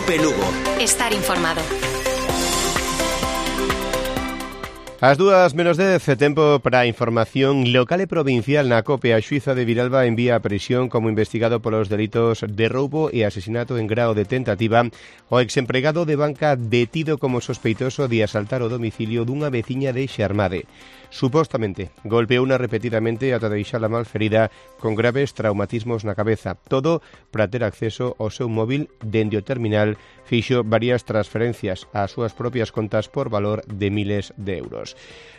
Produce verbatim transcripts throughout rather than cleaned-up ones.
Cope Lugo. Estar informado. As dúas menos dez, tempo para a información local e provincial na Cope. A xuíza de Viralba envía a prisión como investigado polos delitos de roubo e asesinato en grao de tentativa o exempregado de banca detido como sospeitoso de asaltar o domicilio dunha veciña de Xermade. Supostamente golpeouna repetidamente ata deixala malferida con graves traumatismos na cabeza. Todo para ter acceso ao seu móvil dende o terminal. Fixo varias transferencias ás súas propias contas por valor de miles de euros.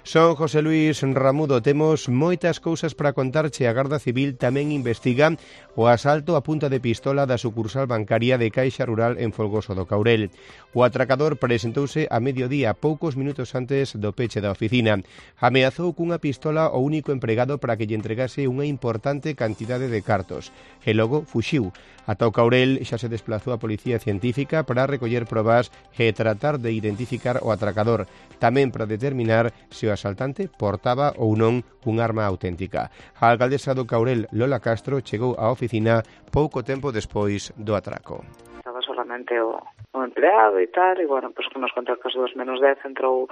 Son José Luis Ramudo, temos moitas cousas para contarche. A Garda Civil tamén investiga o asalto a punta de pistola da sucursal bancaria de Caixa Rural en Folgoso do Caurel. O atracador presentouse a mediodía, poucos minutos antes do peche da oficina. Ameazou cunha pistola o único empregado para que lle entregase unha importante cantidade de cartos. E logo fuxiu. Ata o Caurel xa se desplazou a Policía Científica para recoller probas e tratar de identificar o atracador, tamén para determinar se o asaltante portaba ou non un arma auténtica. A alcaldesa do Caurel, Lola Castro, chegou á oficina pouco tempo despois do atraco. Estaba solamente o, o empleado e tal, e, bueno, pues, que nos conta que as dúas menos dez entrou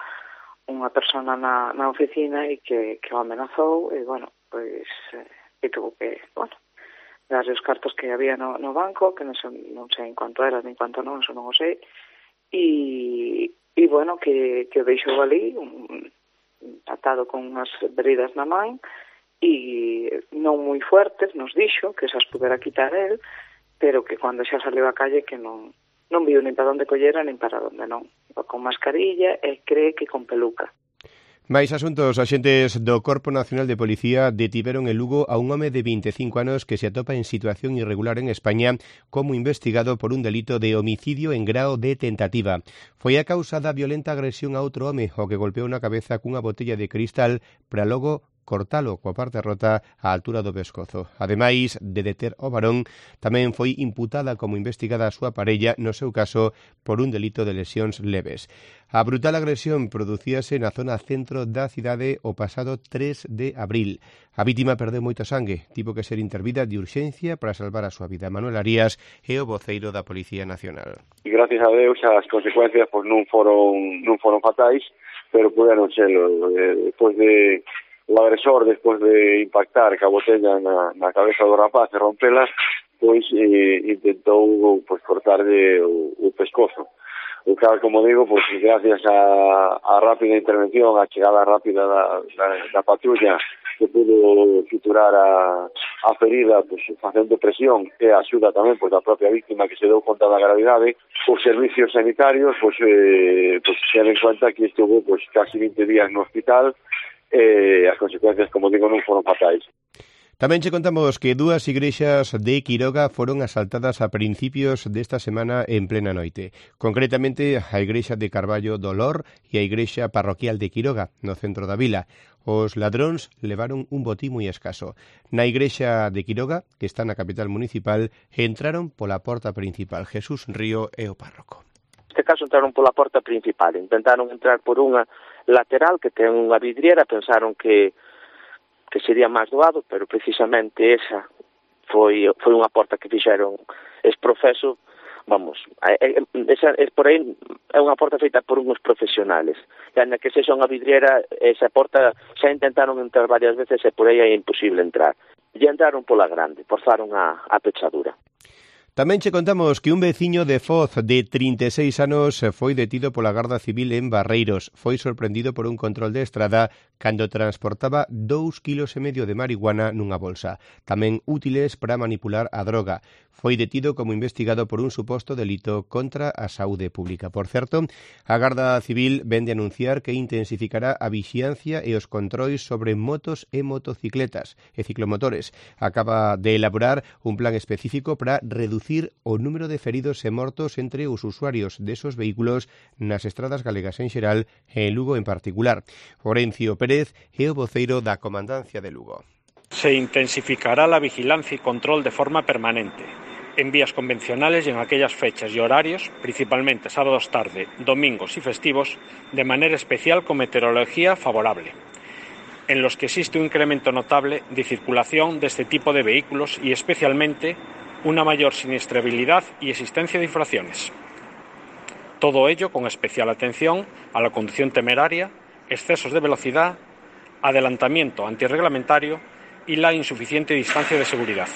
unha persona na, na oficina e que, que o amenazou, e, bueno, pois, eh, e tuvo que, bueno, darle os cartos que había no, no banco, que non sei, non sei en cuanto era, nin cuanto non, eso non o sei, e, e bueno, que, que o deixou ali, un, atado con unhas veridas na man, e non moi fuertes, nos dixo, que esas pudera quitar el, pero que cando xa saliu a calle que non, non viu nin para onde collera, nin para onde non. Iba con mascarilla e cree que con peluca. Mais asuntos, axentes do Corpo Nacional de Policía detiveron en Lugo a un home de vinte e cinco anos que se atopa en situación irregular en España como investigado por un delito de homicidio en grao de tentativa. Foi a causa da violenta agresión a outro home o que golpeou na cabeza cunha botella de cristal para logo cortalo coa parte rota á altura do pescozo. Ademais de deter o varón, tamén foi imputada como investigada a súa parella, no seu caso, por un delito de lesións leves. A brutal agresión producíase na zona centro da cidade o pasado tres de abril. A vítima perdeu moita sangue, tivo que ser intervida de urxencia para salvar a súa vida. Manuel Arías é o voceiro da Policía Nacional. E gracias a Deus as consecuencias pois, non foron non foron fatais, pero puderon serlo. Eh, despois de o agresor, despois de impactar ca botella na, na cabeza do rapaz e rompela, pois eh, intentou pois, cortarle o, o pescozo. O cal, como digo, pois, gracias a, a rápida intervención, a chegada rápida da, da, da patrulla, que pudo suturar a, a ferida, pois, facendo presión, e a axuda tamén pois, da propia víctima que se deu conta da gravidade, os servicios sanitarios, pois, eh, pois, se den cuenta que estuvo pois, casi vinte días no hospital, e as consecuencias, como digo, non foron fatais. Tamén che contamos que dúas igrexas de Quiroga foron asaltadas a principios desta semana en plena noite. Concretamente, a igrexa de Carballo do Lor e a igrexa parroquial de Quiroga, no centro da vila. Os ladróns levaron un botín moi escaso. Na igrexa de Quiroga, que está na capital municipal, entraron pola porta principal. Jesús Río é o párroco. Neste caso entraron pola porta principal, intentaron entrar por unha lateral que ten unha vidriera, pensaron que que sería máis doado, pero precisamente esa foi foi unha porta que fixeron esprofeso, vamos, esa é por aí é unha porta feita por uns profesionales. E na que sexa unha vidriera, esa porta xa intentaron entrar varias veces e por aí é imposible entrar. E entraron pola grande, forzaron a, a pechadura. Tamén che contamos que un veciño de Foz de trinta e seis anos foi detido pola Garda Civil en Barreiros. Foi sorprendido por un control de estrada cando transportaba dous kilos e medio de marihuana nunha bolsa, tamén útiles para manipular a droga. Foi detido como investigado por un suposto delito contra a saúde pública. Por certo, a Garda Civil vende anunciar que intensificará a vixiancia e os controis sobre motos e motocicletas e ciclomotores. Acaba de elaborar un plan específico para reducir o número de feridos e mortos entre os usuarios desos vehículos nas estradas galegas en xeral e en Lugo en particular. Orencio Pérez é o voceiro da Comandancia de Lugo. Se intensificará la vigilancia y control de forma permanente en vías convencionales y en aquellas fechas y horarios, principalmente sábados tarde, domingos y festivos, de manera especial con meteorología favorable, en los que existe un incremento notable de circulación de este tipo de vehículos y especialmente una mayor siniestrabilidad y existencia de infracciones. Todo ello con especial atención a la conducción temeraria, excesos de velocidad, adelantamiento antirreglamentario y la insuficiente distancia de seguridad.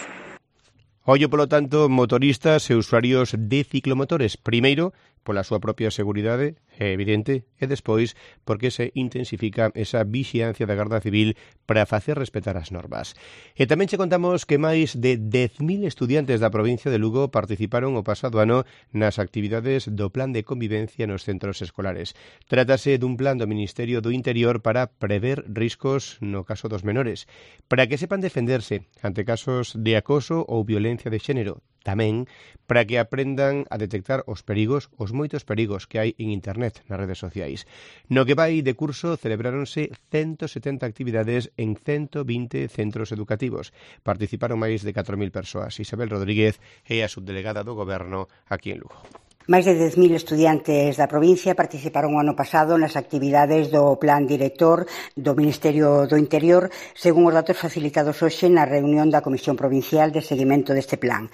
Ollo, polo tanto, motoristas e usuarios de ciclomotores. Primeiro, pola súa propia seguridade, é evidente, e despois porque se intensifica esa vixiancia da Garda Civil para facer respetar as normas. E tamén che contamos que máis de dez mil estudiantes da provincia de Lugo participaron o pasado ano nas actividades do Plan de Convivencia nos centros escolares. Trátase dun plan do Ministerio do Interior para prever riscos no caso dos menores, para que sepan defenderse ante casos de acoso ou violencia de xénero. Tamén para que aprendan a detectar os perigos, os moitos perigos que hai en internet, nas redes sociais. No que vai de curso celebráronse ciento setenta actividades en ciento vinte centros educativos. Participaron máis de catro mil persoas. Isabel Rodríguez é a subdelegada do Goberno aquí en Lugo. Máis de dez mil estudiantes da provincia participaron o ano pasado nas actividades do Plan Director do Ministerio do Interior, según os datos facilitados hoxe na reunión da Comisión Provincial de Seguimento deste plan.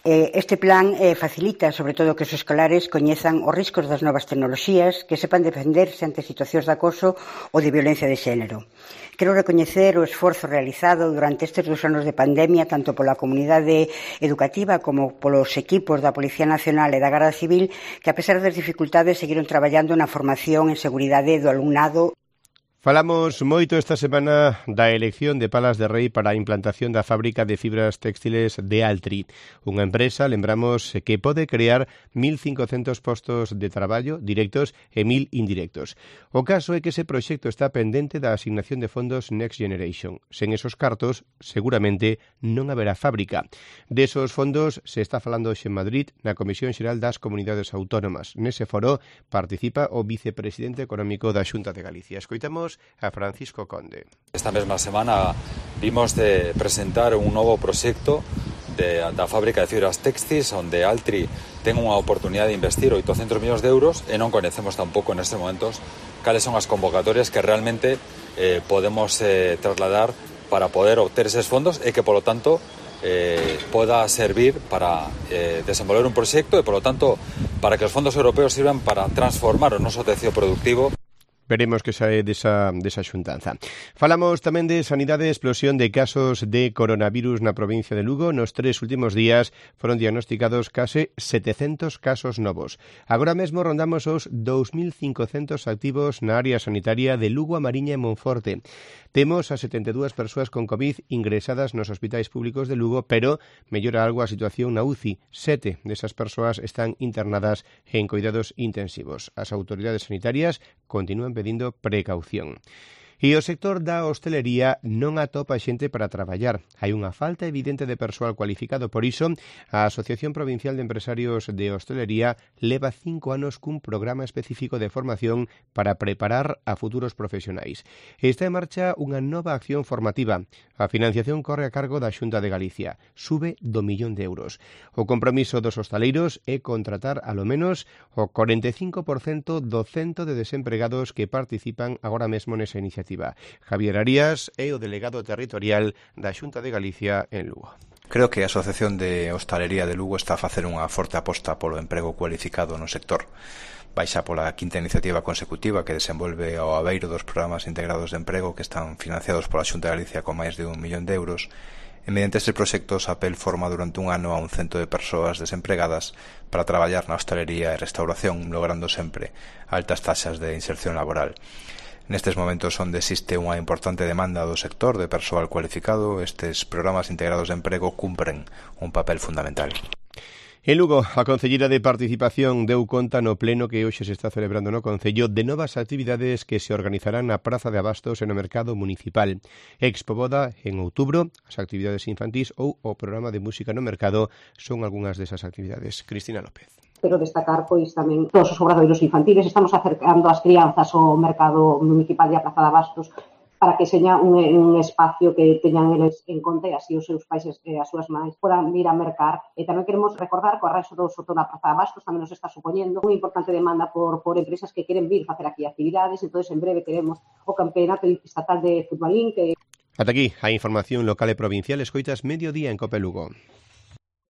Este plan facilita, sobre todo, que os escolares coñezan os riscos das novas tecnoloxías, que sepan defenderse ante situacións de acoso ou de violencia de xénero. Quero recoñecer o esforzo realizado durante estes dous anos de pandemia, tanto pola comunidade educativa como polos equipos da Policía Nacional e da Garda Civil, que, a pesar das dificultades, seguiron traballando na formación en seguridade do alumnado. Falamos moito esta semana da elección de Palas de Rei para a implantación da fábrica de fibras textiles de Altri, unha empresa, lembramos, que pode crear mil cincocentos postos de traballo directos e mil indirectos. O caso é que ese proxecto está pendente da asignación de fondos Next Generation. Sen esos cartos, seguramente non haberá fábrica. Desos fondos se está falando hoxe en Madrid na Comisión Xeral das Comunidades Autónomas. Nese foro participa o vicepresidente económico da Xunta de Galicia. Escoitamos a Francisco Conde. Esta mesma semana vimos de presentar un novo proxecto de, da fábrica de fibras textis onde Altri ten unha oportunidade de investir oitocentos millóns de euros e non conhecemos tampouco nestes momentos cales son as convocatorias que realmente eh, podemos eh, trasladar para poder obter eses fondos e que, polo tanto, eh, poda servir para eh, desenvolver un proxecto e, polo tanto, para que os fondos europeos sirvan para transformar o noso tecido productivo. Veremos que sae desa, desa xuntanza. Falamos tamén de sanidade e explosión de casos de coronavirus na provincia de Lugo. Nos tres últimos días foron diagnosticados case setecentos casos novos. Agora mesmo rondamos os dous mil cincocentos activos na área sanitaria de Lugo, a Mariña e Monforte. Temos a setenta e dúas persoas con COVID ingresadas nos hospitais públicos de Lugo, pero mellora algo a situación na U C I. Sete desas persoas están internadas en cuidados intensivos. As autoridades sanitarias continúan pedindo precaución. E o sector da hostelería non atopa xente para traballar. Hai unha falta evidente de persoal cualificado. Por iso, a Asociación Provincial de Empresarios de Hostelería leva cinco anos cun programa específico de formación para preparar a futuros profesionais. Está en marcha unha nova acción formativa. A financiación corre a cargo da Xunta de Galicia. Sube do millón de euros. O compromiso dos hostaleiros é contratar alo menos o corenta e cinco por cento do cento de desempregados que participan agora mesmo nesa iniciativa. Javier Arias é o delegado territorial da Xunta de Galicia en Lugo. Creo que a Asociación de Hostalería de Lugo está a facer unha forte aposta polo emprego cualificado no sector. Baixa pola quinta iniciativa consecutiva que desenvolve ao abeiro dos programas integrados de emprego que están financiados pola Xunta de Galicia con máis de un millón de euros. E mediante estes proxectos, a P E L forma durante un ano a un cento de persoas desempregadas para traballar na hostalería e restauración, logrando sempre altas taxas de inserción laboral. Nestes momentos onde existe unha importante demanda do sector de persoal cualificado, estes programas integrados de emprego cumpren un papel fundamental. En Lugo, a Concelleira de Participación deu conta no pleno que hoxe se está celebrando no Concello de novas actividades que se organizarán na Praza de Abastos e no Mercado Municipal. Expo Boda en outubro, as actividades infantís ou o programa de música no mercado son algunhas desas actividades. Cristina López. Pero destacar pois tamén todos os obradoiros infantiles. Estamos acercando as crianzas ao mercado municipal de a Praza de Abastos para que seña un, un espacio que teñan eles en conta e así os seus pais e as súas mães podan ir a mercar. E tamén queremos recordar que o arranxo do Soto da Praza de Abastos tamén nos está supoñendo unha importante demanda por, por empresas que queren vir facer aquí actividades. Entón, en breve teremos o Campeonato Estatal de Futbolín que... Ata aquí a información local e provincial. Escoitas Mediodía en Cope Lugo.